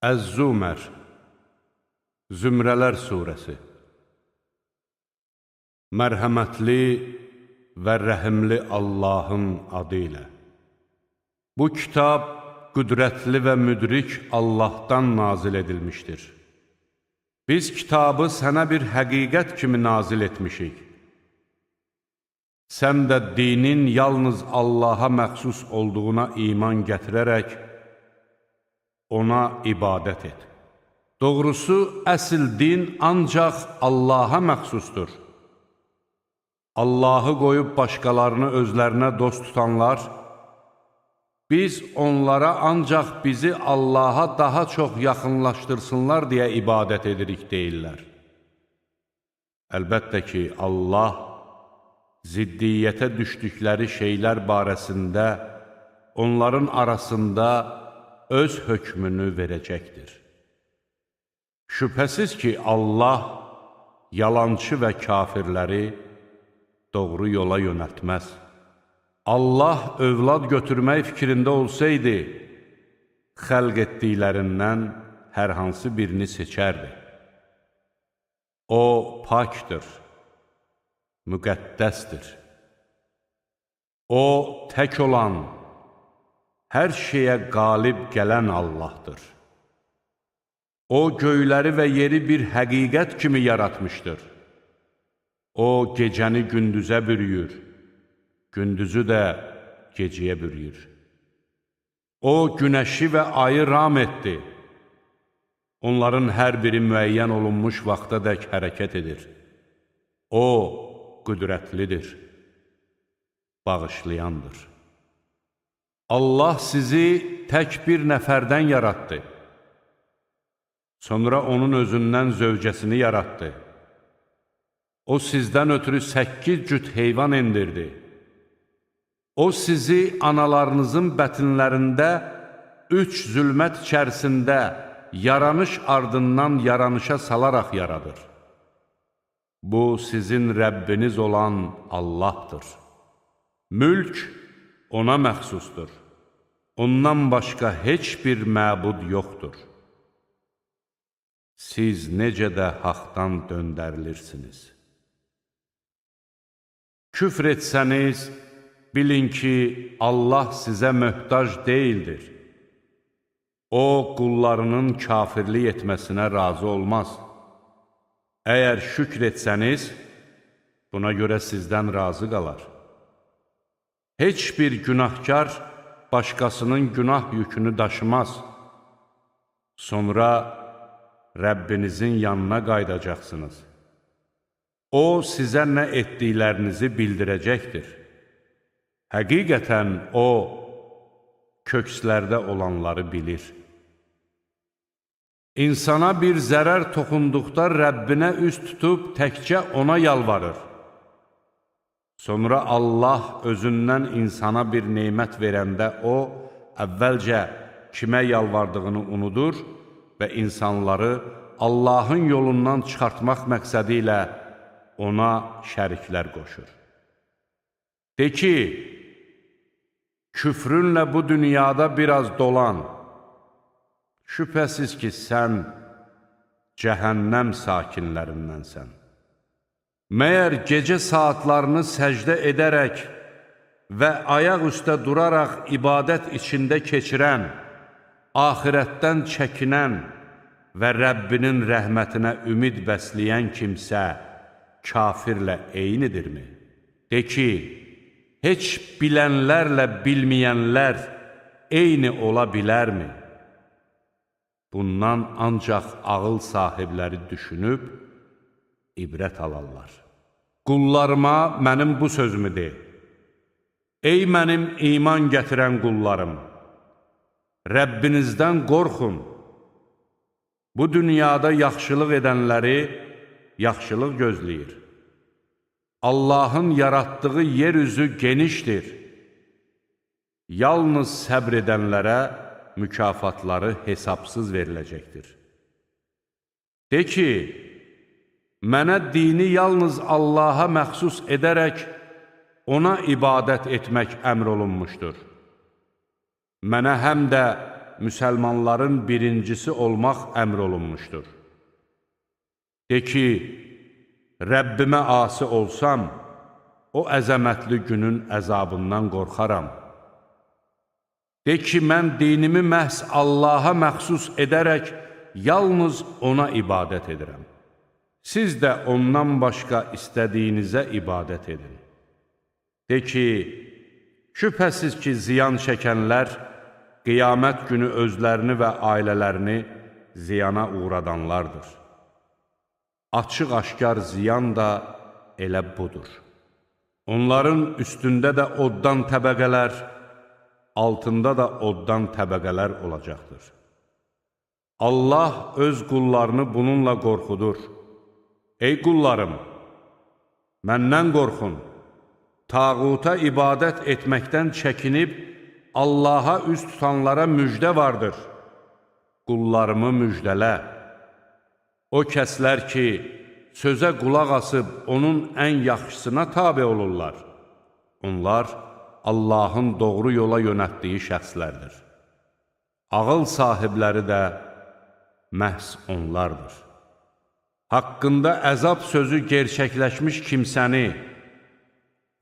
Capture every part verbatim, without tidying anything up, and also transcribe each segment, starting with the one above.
Əz-Zumər Zümrələr Suresi Mərhəmətli və rəhimli Allahın adı ilə. Bu kitab qüdrətli və müdrik Allahdan nazil edilmişdir. Biz kitabı sənə bir həqiqət kimi nazil etmişik. Sən də dinin yalnız Allaha məxsus olduğuna iman gətirərək, ona ibadət et. Doğrusu, əsl din ancaq Allaha məxsusdur. Allahı qoyub başqalarını özlərinə dost tutanlar, biz onlara ancaq bizi Allaha daha çox yaxınlaşdırsınlar deyə ibadət edirik deyirlər. Əlbəttə ki, Allah ziddiyyətə düşdükləri şeylər barəsində onların arasında öz hökmünü verəcəkdir. Şübhəsiz ki, Allah yalançı və kafirləri doğru yola yönəltməz. Allah övlad götürmək fikrində olsaydı, xəlq etdiklərindən hər hansı birini seçərdi. O, pakdır, müqəddəsdir. O, tək olan, hər şeyə qalib gələn Allahdır. O, göyləri və yeri bir həqiqət kimi yaratmışdır. O, gecəni gündüzə bürüyür, gündüzü də gecəyə bürüyür. O, günəşi və ayı ram etdi. Onların hər biri müəyyən olunmuş vaxtadək hərəkət edir. O, qüdrətlidir, bağışlayandır. Allah sizi tək bir nəfərdən yaratdı. Sonra onun özündən zövcəsini yaratdı. O, sizdən ötürü səkkiz cüt heyvan endirdi. O, sizi analarınızın bətinlərində üç zülmət içərisində yaranış ardından yaranışa salaraq yaradır. Bu, sizin Rəbbiniz olan Allahdır. Mülk ona məxsusdur. Ondan başqa heç bir məbud yoxdur. Siz necə də haqdan döndərilirsiniz. Küfr etsəniz, bilin ki, Allah sizə möhtac deyildir. O, qullarının kafirlik etməsinə razı olmaz. Əgər şükr etsəniz, buna görə sizdən razı qalar. Heç bir günahkar başqasının günah yükünü daşımaz. Sonra Rəbbinizin yanına qaydacaqsınız. O, sizə nə etdiklərinizi bildirəcəkdir. Həqiqətən O, kökslərdə olanları bilir. İnsana bir zərər toxunduqda Rəbbinə üz tutub təkcə ona yalvarır. Sonra Allah özündən insana bir neymət verəndə O, əvvəlcə kimə yalvardığını unudur və insanları Allahın yolundan çıxartmaq məqsədi ilə ona şəriklər qoşur. De ki, küfrünlə bu dünyada biraz dolan, şübhəsiz ki, sən cəhənnəm sakinlərindənsən. Məyər gecə saatlarını səcdə edərək və ayaq üstə duraraq ibadət içində keçirən, axirətdən çəkinən və Rəbbinin rəhmətinə ümid bəsləyən kimsə kafirlə eynidirmi? De ki, heç bilənlərlə bilməyənlər eyni ola bilərmi? Bundan ancaq ağıl sahibləri düşünüb ibrət alarlar. Qullarıma mənim bu sözümü de. Ey mənim iman gətirən qullarım! Rəbbinizdən qorxun. Bu dünyada yaxşılıq edənləri yaxşılıq gözləyir. Allahın yaratdığı yeryüzü genişdir. Yalnız səbr edənlərə mükafatları hesabsız veriləcəkdir. De ki, mənə dini yalnız Allaha məxsus edərək ona ibadət etmək əmr olunmuşdur. Mənə həm də müsəlmanların birincisi olmaq əmr olunmuşdur. De ki, Rəbbimə asi olsam, o əzəmətli günün əzabından qorxaram. De ki, mən dinimi məhz Allaha məxsus edərək, yalnız ona ibadət edirəm. Siz də ondan başqa istədiyinizə ibadət edin. De ki, şübhəsiz ki, ziyan çəkənlər, qiyamət günü özlərini və ailələrini ziyana uğradanlardır. Açıq-aşkar ziyan da elə budur. Onların üstündə də oddan təbəqələr, altında da oddan təbəqələr olacaqdır. Allah öz qullarını bununla qorxudur. Ey qullarım, məndən qorxun, tağuta ibadət etməkdən çəkinib, Allaha üz tutanlara müjdə vardır. Qullarımı müjdələ. O kəslər ki, sözə qulaq asıb, onun ən yaxşısına tabe olurlar. Onlar, Allahın doğru yola yönətdiyi şəxslərdir. Ağıl sahibləri də məhz onlardır. Haqqında əzab sözü gerçəkləşmiş kimsəni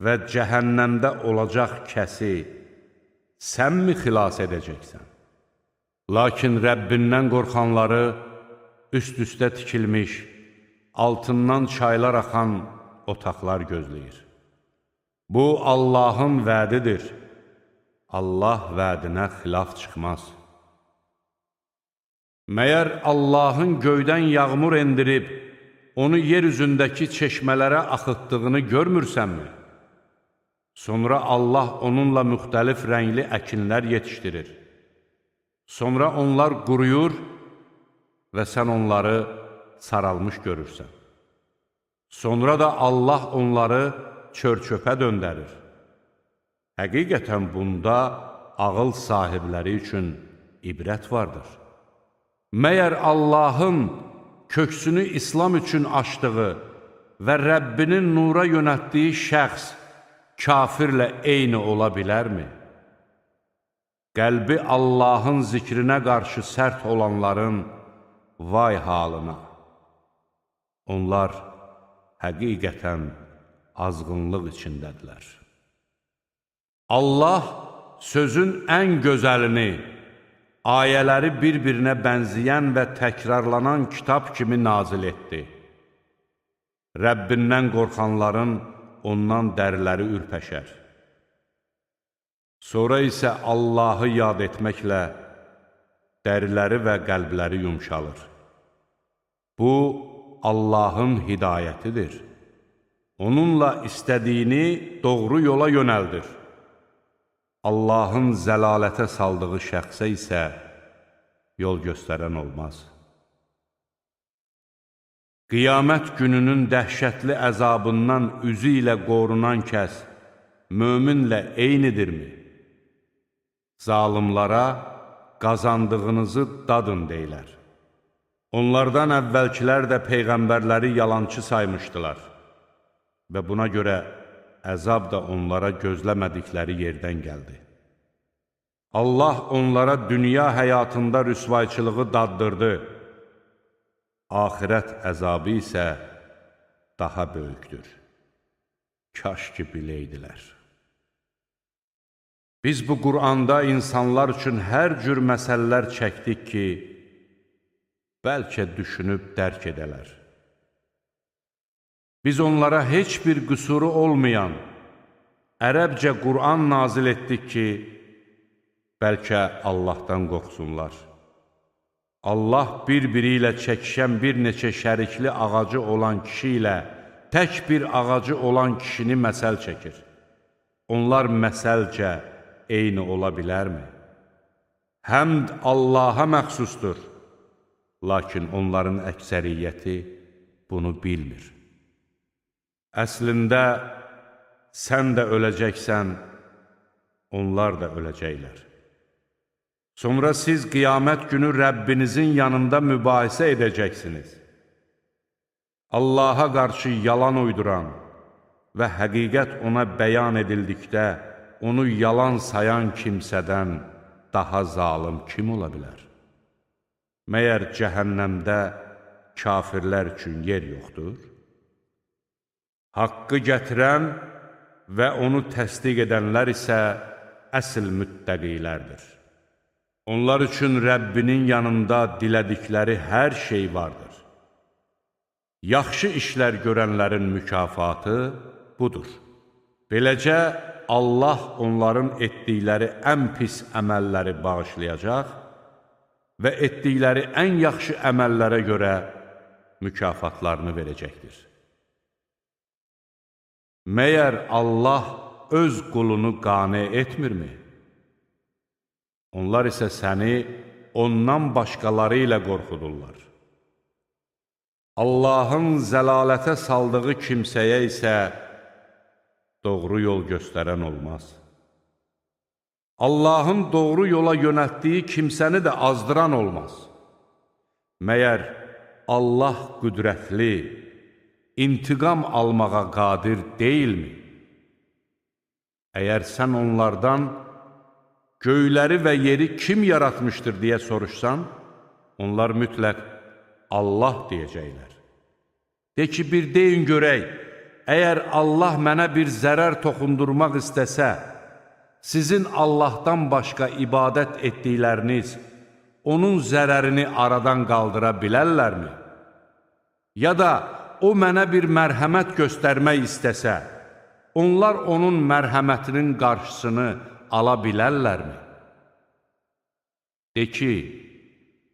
və cəhənnəmdə olacaq kəsi sənmi xilas edəcəksən? Lakin Rəbbindən qorxanları üst-üstə tikilmiş, altından çaylar axan otaqlar gözləyir. Bu, Allahın vədidir. Allah vədinə xilaf çıxmaz. Məyər Allahın göydən yağmur endirib, onu yer üzündəki çeşmələrə axıtdığını görmürsənmi? Sonra Allah onunla müxtəlif rəngli əkinlər yetişdirir. Sonra onlar quruyur və sən onları saralmış görürsən. Sonra da Allah onları çör-çöpə döndərir. Həqiqətən bunda ağıl sahibləri üçün ibrət vardır. Məyər Allahın köksünü İslam üçün açdığı və Rəbbinin nura yönətdiyi şəxs kafirlə eyni ola bilərmi? Qəlbi Allahın zikrinə qarşı sərt olanların vay halına. Onlar həqiqətən azğınlıq içindədirlər. Allah sözün ən gözəlini, ayələri bir-birinə bənzəyən və təkrarlanan kitab kimi nazil etdi. Rəbbindən qorxanların ondan dəriləri ürpəşər. Sonra isə Allahı yad etməklə dəriləri və qəlbləri yumşalır. Bu, Allahın hidayətidir. Onunla istədiyini doğru yola yönəldir. Allahın zəlalətə saldığı şəxsə isə yol göstərən olmaz. Qiyamət gününün dəhşətli əzabından üzü ilə qorunan kəs möminlə eynidirmi? Zalimlara qazandığınızı dadın deyilər. Onlardan əvvəlkilər də peyğəmbərləri yalançı saymışdılar və buna görə əzab da onlara gözləmədikləri yerdən gəldi. Allah onlara dünya həyatında rüsvayçılığı daddırdı. Axirət əzabı isə daha böyükdür. Kaş ki biləydilər. Biz bu Qur'anda insanlar üçün hər cür məsələlər çəkdik ki, bəlkə düşünüb dərk edələr. Biz onlara heç bir qüsuru olmayan, ərəbcə Qur'an nazil etdik ki, bəlkə Allahdan qorxsunlar. Allah bir-biri ilə çəkişən bir neçə şərikli ağacı olan kişi ilə tək bir ağacı olan kişini məsəl çəkir. Onlar məsəlcə eyni ola bilərmi? Həmd Allaha məxsusdur, lakin onların əksəriyyəti bunu bilmir. Əslində, sən də öləcəksən, onlar da öləcəklər. Sonra siz qiyamət günü Rəbbinizin yanında mübahisə edəcəksiniz. Allaha qarşı yalan uyduran və həqiqət ona bəyan edildikdə, onu yalan sayan kimsədən daha zalım kim ola bilər? Məyər cəhənnəmdə kafirlər üçün yer yoxdur? Haqqı gətirən və onu təsdiq edənlər isə əsl müttəqilərdir. Onlar üçün Rəbbinin yanında dilədikləri hər şey vardır. Yaxşı işlər görənlərin mükafatı budur. Beləcə, Allah onların etdikləri ən pis əməlləri bağışlayacaq və etdikləri ən yaxşı əməllərə görə mükafatlarını verəcəkdir. Məyər Allah öz qulunu qane etmirmi? Onlar isə səni ondan başqaları ilə qorxudurlar. Allahın zəlalətə saldığı kimsəyə isə doğru yol göstərən olmaz. Allahın doğru yola yönəltdiyi kimsəni də azdıran olmaz. Məyər Allah qüdrətli, intiqam almağa qadir deyilmi? Əgər sən onlardan göyləri və yeri kim yaratmışdır deyə soruşsan, onlar mütləq Allah deyəcəklər. De ki, bir deyin görək, əgər Allah mənə bir zərər toxundurmaq istəsə, sizin Allahdan başqa ibadət etdikləriniz onun zərərini aradan qaldıra bilərlərmi? Ya da o mənə bir mərhəmət göstərmək istəsə, onlar onun mərhəmətinin qarşısını ala bilərlərmi? De ki,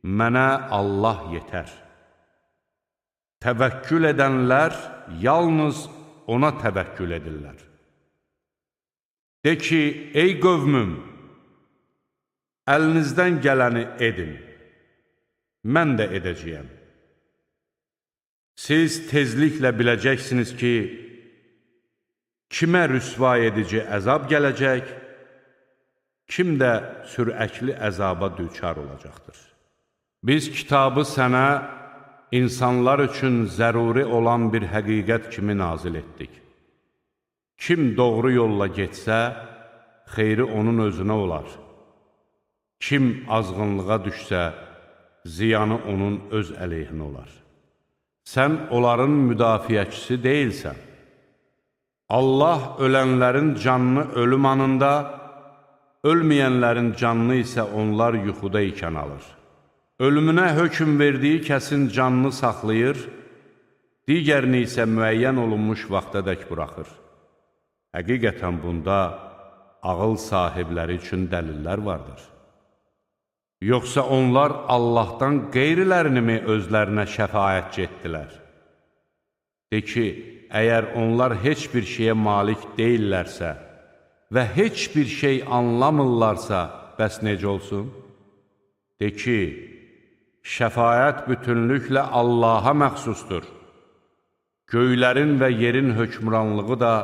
mənə Allah yetər. Təvəkkül edənlər yalnız ona təvəkkül edirlər. De ki, ey qövmüm, əlinizdən gələni edin, mən də edəcəyəm. Siz tezliklə biləcəksiniz ki, kimə rüsva edici əzab gələcək, kim də sürəkli əzaba düçar olacaqdır. Biz kitabı sənə insanlar üçün zəruri olan bir həqiqət kimi nazil etdik. Kim doğru yolla getsə, xeyri onun özünə olar. Kim azğınlığa düşsə, ziyanı onun öz əleyhinə olar. Sən onların müdafiəçisi deyilsən. Allah ölənlərin canını ölüm anında, ölməyənlərin canını isə onlar yuxuda ikən alır. Ölümünə hökm verdiyi kəsin canını saxlayır, digərini isə müəyyən olunmuş vaxtadək buraxır. Həqiqətən bunda ağıl sahibləri üçün dəlillər vardır. Yoxsa onlar Allahdan qeyrilərini mi özlərinə şəfaətçi etdilər? De ki, əgər onlar heç bir şeyə malik deyillərsə və heç bir şey anlamırlarsa, bəs necə olsun? De ki, şəfaət bütünlüklə Allaha məxsusdur. Göylərin və yerin hökmranlığı da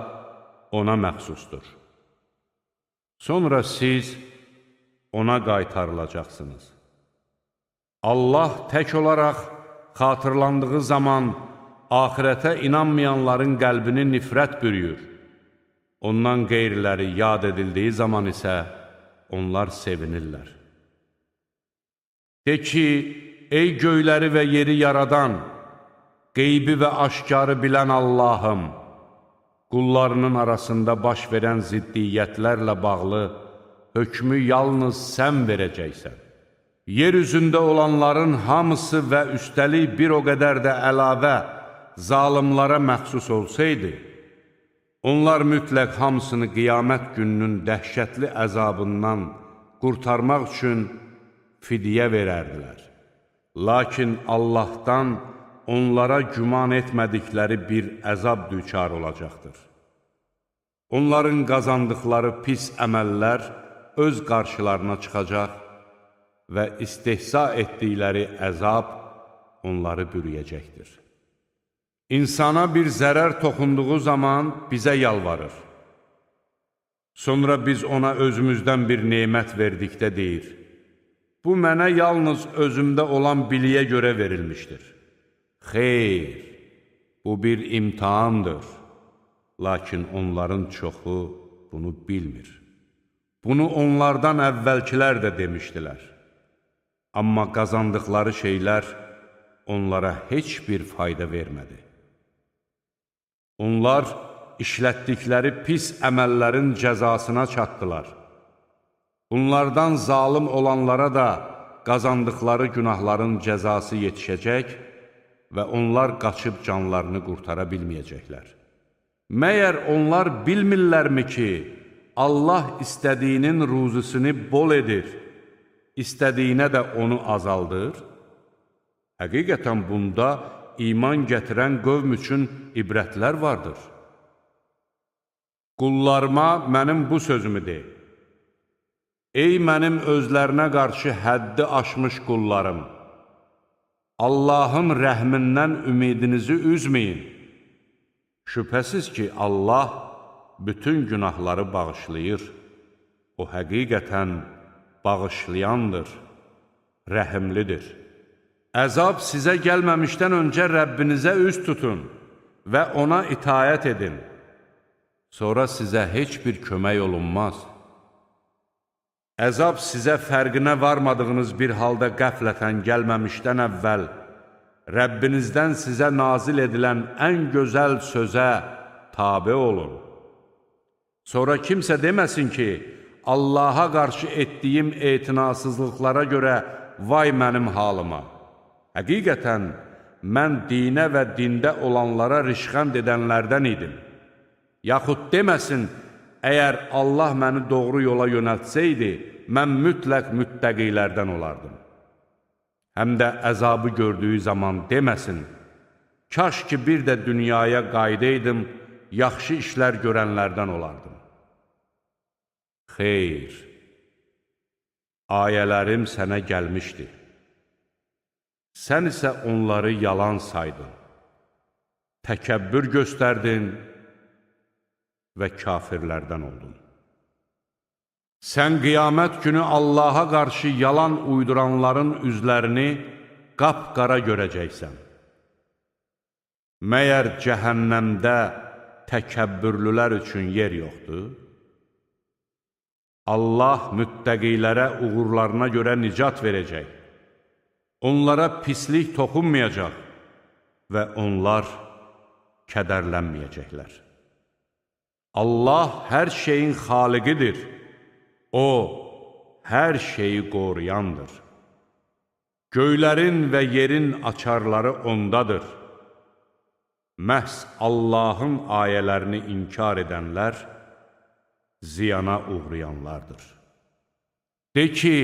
ona məxsusdur. Sonra siz ona qaytarılacaqsınız. Allah tək olaraq xatırlandığı zaman axirətə inanmayanların qəlbini nifrət bürüyür. Ondan qeyriləri yad edildiyi zaman isə onlar sevinirlər. De ki, ey göyləri və yeri yaradan, qeybi və aşkarı bilən Allahım, qullarının arasında baş verən ziddiyyətlərlə bağlı hökmü yalnız sən verəcəksən. Yer üzündə olanların hamısı və üstəlik bir o qədər də əlavə zalimlara məxsus olsaydı, onlar mütləq hamısını qiyamət gününün dəhşətli əzabından qurtarmaq üçün fidyə verərdilər. Lakin Allahdan onlara güman etmədikləri bir əzab düçar olacaqdır. Onların qazandıqları pis əməllər öz qarşılarına çıxacaq və istehza etdikləri əzab onları bürüyəcəkdir. İnsana bir zərər toxunduğu zaman bizə yalvarır. Sonra biz ona özümüzdən bir nemət verdikdə deyir, bu mənə yalnız özümdə olan biliyə görə verilmişdir. Xeyr, bu bir imtihandır, lakin onların çoxu bunu bilmir. Bunu onlardan əvvəlkilər də demişdilər. Amma qazandıqları şeylər onlara heç bir fayda vermədi. Onlar işlətdikləri pis əməllərin cəzasına çatdılar. Bunlardan zalım olanlara da qazandıqları günahların cəzası yetişəcək və onlar qaçıb canlarını qurtara bilməyəcəklər. Məyər onlar bilmirlərmi ki, Allah istədiyinin ruzusunu bol edir, istədiyinə də onu azaldır? Həqiqətən bunda iman gətirən qövm üçün ibrətlər vardır. Qullarıma mənim bu sözümü de. Ey mənim özlərinə qarşı həddi aşmış qullarım! Allahın rəhmindən ümidinizi üzməyin. Şübhəsiz ki, Allah bütün günahları bağışlayır. O həqiqətən bağışlayandır, rəhimlidir. Əzab sizə gəlməmişdən öncə Rəbbinizə üz tutun və ona itayət edin. Sonra sizə heç bir kömək olunmaz. Əzab sizə fərqinə varmadığınız bir halda qəflətən gəlməmişdən əvvəl Rəbbinizdən sizə nazil edilən ən gözəl sözə tabe olun. Sonra kimsə deməsin ki, Allaha qarşı etdiyim etinasızlıqlara görə vay mənim halıma. Həqiqətən, mən dinə və dində olanlara rişxənd edənlərdən idim. Yaxud deməsin, əgər Allah məni doğru yola yönəltsəydi, mən mütləq müttəqilərdən olardım. Həm də əzabı gördüyü zaman deməsin, kaş ki bir də dünyaya qaydaydım, yaxşı işlər görənlərdən olardım. Xeyr, ayələrim sənə gəlmişdi. Sən isə onları yalan saydın, təkəbbür göstərdin və kafirlərdən oldun. Sən qiyamət günü Allaha qarşı yalan uyduranların üzlərini qapqara görəcəksən. Məyər cəhənnəmdə təkəbbürlülər üçün yer yoxdur? Allah müttəqilərə uğurlarına görə nicat verəcək. Onlara pislik toxunmayacaq və onlar kədərlənməyəcəklər. Allah hər şeyin xaliqidir. O, hər şeyi qoruyandır. Göylərin və yerin açarları ondadır. Məhz Allahın ayələrini inkar edənlər ziyana uğrayanlardır. De ki,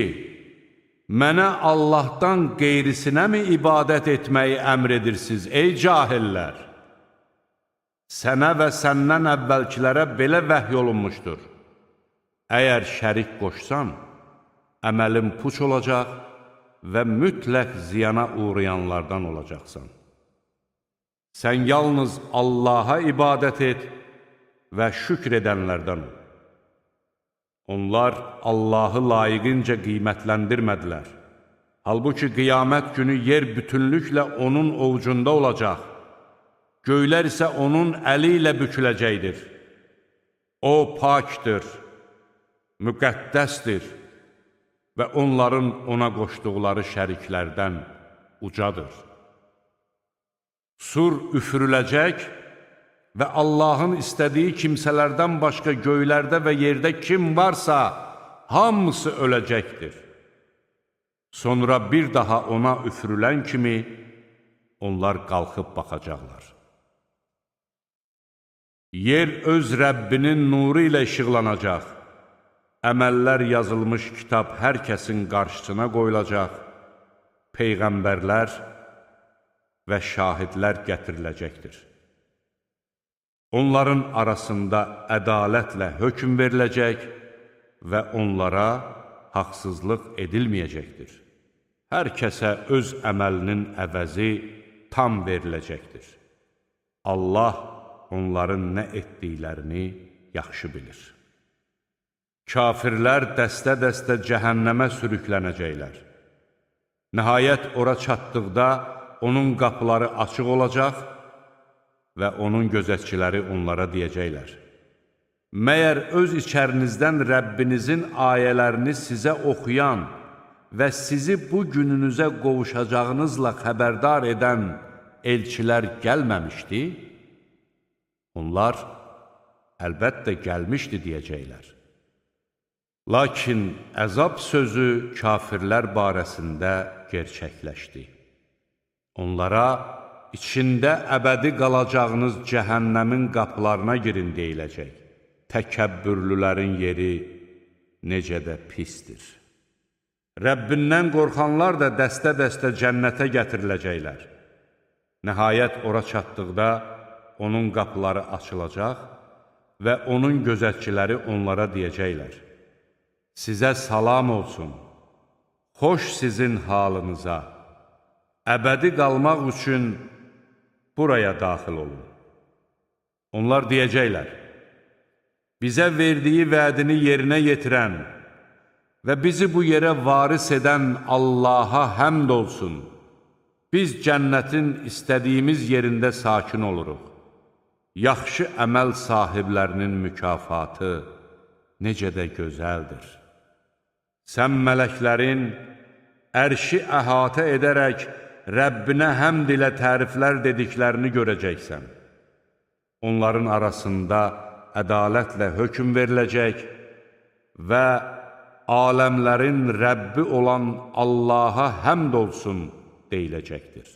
mənə Allahdan qeyrisinə mi ibadət etməyi əmr edirsiniz, ey cahillər? Sənə və səndən əvvəlkilərə belə vəhy olunmuşdur. Əgər şərik qoşsan, əməlin puç olacaq və mütləq ziyana uğrayanlardan olacaqsan. Sən yalnız Allaha ibadət et və şükr edənlərdən ol. Onlar Allahı layiqincə qiymətləndirmədilər. Halbuki qiyamət günü yer bütünlüklə onun ovucunda olacaq. Göylər isə onun əli ilə büküləcəkdir. O pakdır, müqəddəsdir və onların ona qoşduqları şəriklərdən ucadır. Sur üfürüləcək və Allahın istədiyi kimsələrdən başqa göylərdə və yerdə kim varsa, hamısı öləcəkdir. Sonra bir daha ona üfürülən kimi onlar qalxıb baxacaqlar. Yer öz Rəbbinin nuru ilə işıqlanacaq. Əməllər yazılmış kitab hər kəsin qarşısına qoyulacaq. Peyğəmbərlər və şahidlər gətiriləcəkdir. Onların arasında ədalətlə hökm veriləcək və onlara haqsızlıq edilməyəcəkdir. Hər kəsə öz əməlinin əvəzi tam veriləcəkdir. Allah onların nə etdiklərini yaxşı bilir. Kafirlər dəstə-dəstə cəhənnəmə sürüklənəcəklər. Nəhayət ora çatdıqda onun qapıları açıq olacaq və onun gözətçiləri onlara deyəcəklər: Məyər öz içərinizdən Rəbbinizin ayələrini sizə oxuyan və sizi bu gününüzə qovuşacağınızla xəbərdar edən elçilər gəlməmişdi? Onlar, əlbəttə gəlmişdi deyəcəklər. Lakin əzab sözü kafirlər barəsində gerçəkləşdi. Onlara, içində əbədi qalacağınız cəhənnəmin qapılarına girin deyiləcək. Təkəbbürlülərin yeri necə də pisdir. Rəbbindən qorxanlar da dəstə-dəstə cənnətə gətiriləcəklər. Nəhayət ora çatdıqda onun qapıları açılacaq və onun gözətçiləri onlara deyəcəklər. Sizə salam olsun, xoş sizin halınıza, əbədi qalmaq üçün buraya daxil olun. Onlar deyəcəklər, bizə verdiyi vədini yerinə yetirən və bizi bu yerə varis edən Allaha həmd olsun. Biz cənnətin istədiyimiz yerində sakin oluruq. Yaxşı əməl sahiblərinin mükafatı necə də gözəldir. Sən mələklərin ərşi əhatə edərək Rəbbinə həmd ilə təriflər dediklərini görəcəksən. Onların arasında ədalətlə hökm veriləcək və aləmlərin Rəbbi olan Allaha həmd olsun deyiləcəkdir.